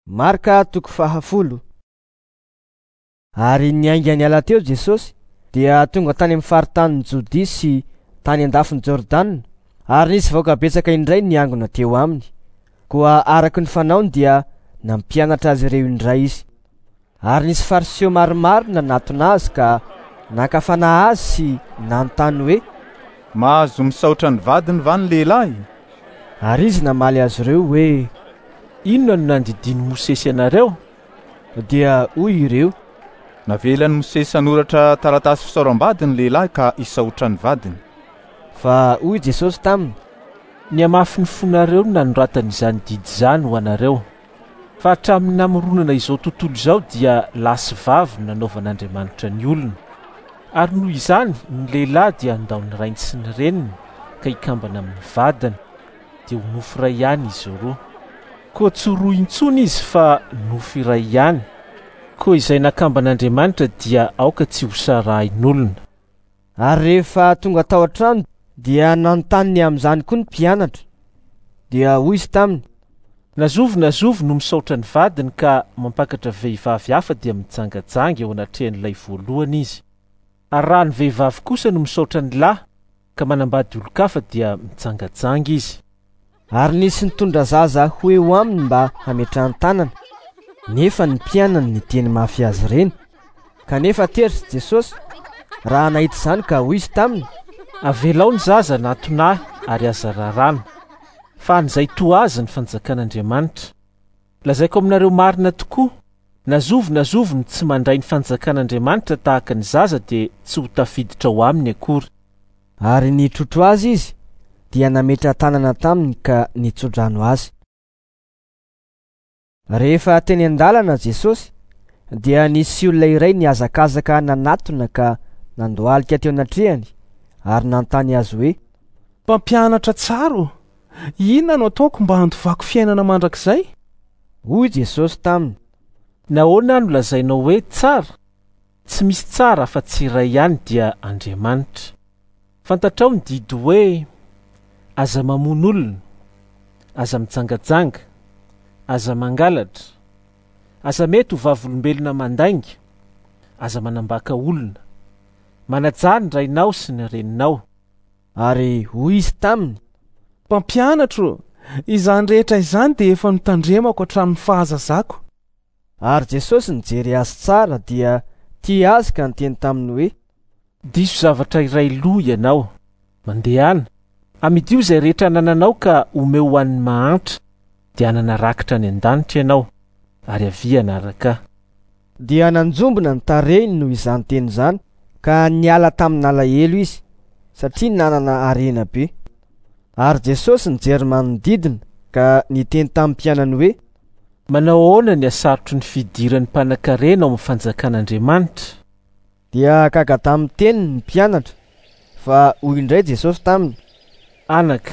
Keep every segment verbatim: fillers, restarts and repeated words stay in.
Marka toko fahafolo. Ary niainga niala teo Jesosy dia tonga tany amin'ny faritanin'i Jodia sy tany an-dafin'i Jordana, ary nisy vahoaka betsaka indray niangona teo aminy. Koa araka ny fanaony dia nampianatra azy ireo indray izy. Ary nisy fariseo maromaro nanatona azy ka naka fanahy azy sy nanontany hoe: "Mahazo misaotra ny vadiny va ny lehilahy?" Ary izy namaly azy ireo hoe: "Inona no nandidian'i Mosesy anareo?" Dia hoy ireo: "Navelan'i Mosesy hanoratra taratasy fisaoram-bady ny lehilahy ka hisaotra ny vadiny." Fa hoy Jesosy taminy: "Ny hamafin'ny fonareo no nanoratana izany didy izany ho anareo. Fa hatramin'ny namoronana izao tontolo izao dia lahy sy vavy no nanaovan'Andriamanitra ny olona. Ary noho izany ny lehilahy dia handao ny rainy sy ny reniny ka hikambana amin'ny vadiny, dia ho nofo iray ihany izy roa. Koa tsy roa intsony izy fa nofo iray ihany. Koa izay nakamban'Andriamanitra dia aoka tsy ho sarahin'olona." Ary rehefa tonga tao an-trano dia nanontany ny amin'izany koa ny mpianatra. Dia hoy izy taminy: "Na zovy na zovy no misaotra ny vadiny ka mampakatra vehivavy hafa dia mijangajanga eo anatrehan'ilay voalohany izy. Ary raha ny vehivavy kosa no misaotra ny lahy ka manambady olon-kafa dia mijangajanga izy." Ary nisy nitondra zaza ho eo aminy mba hametrahan-tanana, nefa ny mpianany niteny mafy azy ireny. Kanefa tezitra Jesosy raha nahita izany ka hoy izy taminy: "Avelao ny zaza hanatona ahy ary aza raràna, fa an'izay toa azy ny fanjakan'Andriamanitra. Lazaiko aminareo marina tokoa, na zovy na zovy no tsy mandray ny fanjakan'Andriamanitra tahaka ny zaza dia tsy ho tafiditra ao aminy akory." Ary nitrotro azy izy dia nametra-tanana taminy ka nitsodrano azy. Rehefa teny an-dalana Jesosy dia nisy olona iray nihazakazaka nanatona ka nandohalika teo anatrehany ary nanontany azy hoe: "Mpampianatra tsara ô, inona no ataoko mba handovako fiainana mandrakizay?" Hoy Jesosy taminy: "Nahoana no lazainao hoe tsara? Tsy misy tsara afa-tsy iray ihany, dia Andriamanitra. Fantatrao ny didy hoe: aza mamono olona, aza mijangajanga, aza mangalatra, aza mety ho vavolombelona mandainga, aza manambaka olona, manajà ny rainao sy ny reninao." Ary hoy izy taminy: "Mpampianatro, izany rehetra izany dia efa notandremako hatramin'ny fahazazako." Ary Jesosy nijery azy tsara dia tia azy ka niteny taminy hoe: "Diso zavatra iray loha ianao. Mandehana, amidio izay rehetra anananao ka omeo ho an'ny mahantra, dia hanana rakitra any an-danitra ianao, ary avia hanaraka ahy." Dia nanjombona ny tarehiny noho izany teny izany ka niala tamin'alahelo izy, satria nanana harena be. Ary Jesosy nijery manodidina ka niteny tamin'ny mpianany hoe: "Manao ahoana ny hasarotry ny fidiran'ny mpanankarena ao amin'ny fanjakan'Andriamanitra?" Dia gaga tamin'ny teniny ny mpianatra, fa hoy indray Jesosy taminy: "Anaka,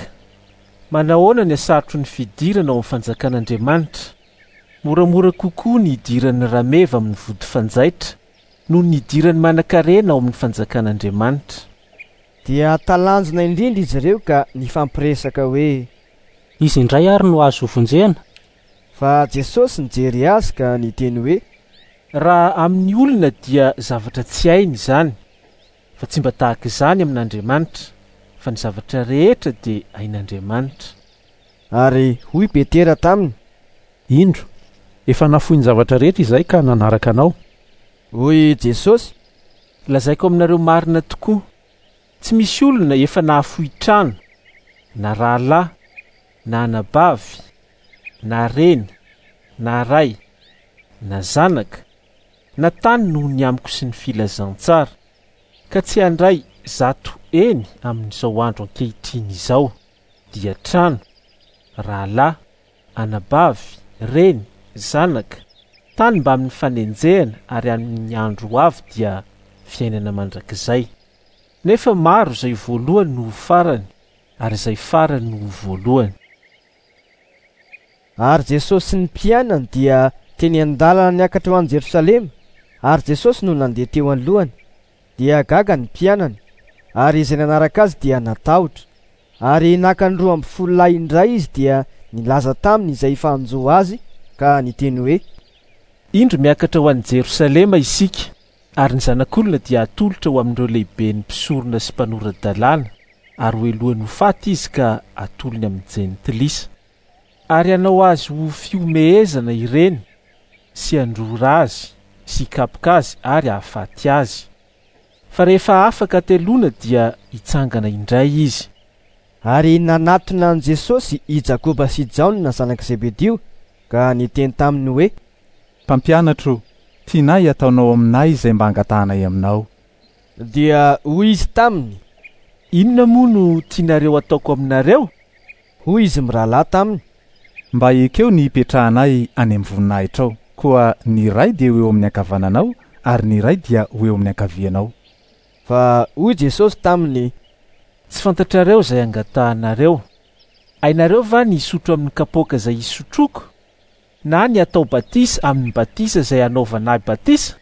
manao ahoana ny hasarotry ny fidirana ao amin'ny fanjakan'Andriamanitra? Moramora kokoa ny hidiran'ny rameva amin'ny vody fanjaitra noho ny hidiran'ny manankarena ao amin'ny fanjakan'Andriamanitra." Dia talanjona indrindra izy ireo ka nifampiresaka hoe: "Izy indray ary no azo hovonjena?" Fa Jesosy nijery azy ka niteny hoe: "Raha amin'ny olona dia zavatra tsy hainy izany, fa tsy mba tahaka izany amin'Andriamanitra, fa ny zavatra rehetra dia hain'Andriamanitra." Ary hoy Petera taminy: "Indro, efa nafoy ny zavatra rehetra izay ka nanaraka anao." Hoy Jesosy: "Lazaiko aminareo marina tokoa, tsy misy olona efa nahafoy trano, na rahalahy, na anabavy, na reny, na ray, na zanaka, na tany noho ny amiko sy ny filazantsara, ka tsy handray zato eny amin'izao andro ankehitriny izao, dia trano, rahalahy, anabavy, reny, zanaka, tany mbamin'ny fanenjehana, ary amin'ny andro ho avy dia fiainana mandrakizay. Nefa maro izay voalohany no ho farany, ary izay farany no ho voalohany." Ary Jesosy sy ny mpianany dia teny an-dalana niakatra ho any Jerosalema, ary Jesosy no nandeha teo alohany. Dia gaga ny mpianany, ary izay nanaraka azy dia natahotra. Ary naka ny roa amby folo lahy indray izy dia nilaza taminy izay efa hanjo azy ka niteny hoe: Indro miakatra ho any Jerosalema isika, ary ny zanak'olona dia atolotra ho amin'ireo lehiben'ny mpisorona sy mpanora-dalàna, ary ho helohany ho faty izy ka atolony amin'ny jentilisa. Ary hanao azy ho fihomehezana ireny sy handrora azy sy hikapoka azy ary hahafaty azy. Fa rehefa afaka hateloana dia hitsangana indray izy. Ary nanatona an'i Jesosy i Jakoba sy Jaona zanak'i Zebedio ka niteny taminy hoe: Mpampianatro, tianay ataonao aminay izay mba angatahanay aminao. Dia hoy izy taminy: Inona moa no tianareo ataoko aminareo? Hoy izy mirahalahy taminy: Mba ekeo ny hipetrahanay any amin'ny voninahitrao, koa ny iray dia ho eo amin'ny ankavananao ary ny iray dia ho eo amin'ny ankavianao. Fa hoy Jesosy taminy: Tsy fantatrareo izay angatahanareo. Hainareo va ny hisotro amin'ny kapoaka izay hisotroko, na ny atao batisa amin'ny batisa izay hanaovana ahy batisa?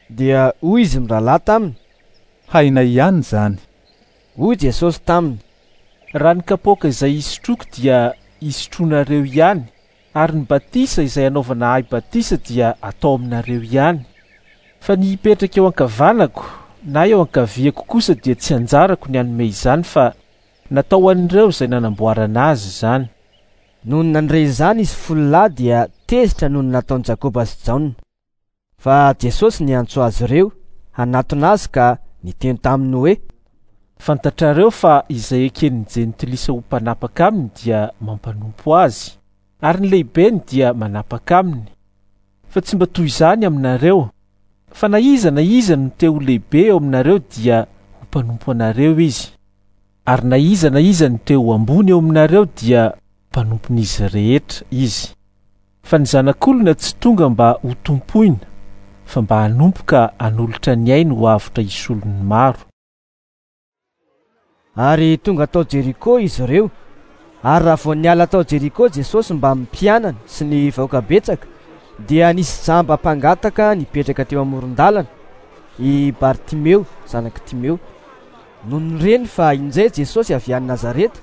Dia hoy izy mirahalahy taminy: Hainay ihany izany. Hoy Jesosy taminy: Raha ny kapoaka izay hisotroko dia hisotronareo ihany, ary ny batisa izay hanaovana ahy batisa dia atao aminareo ihany. Fa ny hipetraka eo ankavanako na eo ankaviako kosa dia tsy anjarako ny hanome izany, fa natao ho an'ireo izay nanamboarana azy izany. Nony nandre izany izy folo lahy dia tezitra noho ny nataon'i Jakoba sy Jaona. Fa Jesosy niantso azy ireo hanatona azy ka niteny taminy hoe: Fantatrareo fa izay eken'ny jentilisa ho mpanapaka aminy dia mampanompo azy, ary ny lehibeny dia manapaka aminy. Fa tsy mba toy izany aminareo, fa na iza na iza no te ho lehibe eo aminareo dia ho mpanompo anareo izy, ary na iza na iza no te ho ambony eo aminareo dia mpanompon'izy rehetra izy. Fa ny zanak'olona tsy tonga mba ho tompoina, fa mba hanompo ka hanolotra ny ainy ho avotra hisolon'ny maro. Ary tonga tao Jeriko izy ireo. Ary raha vao niala tao Jeriko Jesosy mbamin'ny mpianany sy ny vahoaka betsaka, dia nisy jamba mpangataka nipetraka teo amoron-dalana, i Bartimeo zanak'i Timeo. Nony reny fa injay Jesosy avy any Nazareta,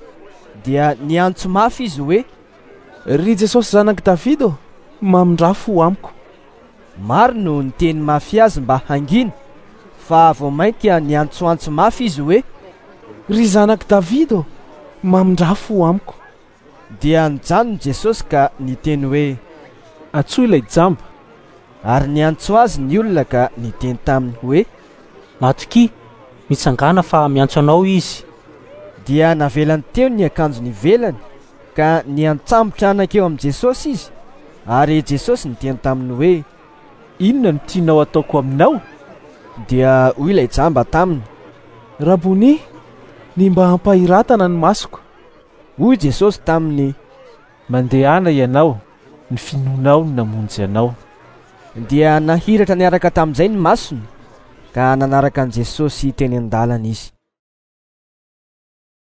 dia niantso mafy izy hoe: Ry Jesosy zanak'i Davida ô, mamindrà fo amiko. Maro no niteny mafy azy mba hangina, fa vao mainka niantsoantso mafy izy hoe: Ry zanak'i Davida ô, mamindrà fo amiko. Dia nijanona Jesosy ka niteny hoe: Antsoy ilay jamba. Ary niantso azy ny olona ka niteny taminy hoe: Matokia, mitsangàna fa miantso anao izy. Dia navelany teo ny akanjony ivelany ka niantsambotra nankeo amin'i Jesosy izy. Ary Jesosy niteny taminy hoe: Inona no tianao ataoko aminao? Dia hoy ilay jamba taminy: Raboni, ny mba hampahiratana ny masoko. Hoy Jesosy taminy: Mandehana ianao, ny finoanao no namonjy anao. Dia nahiratra niaraka tamin'izay ny masony ka nanaraka an'i Jesosy teny an-dalana izy.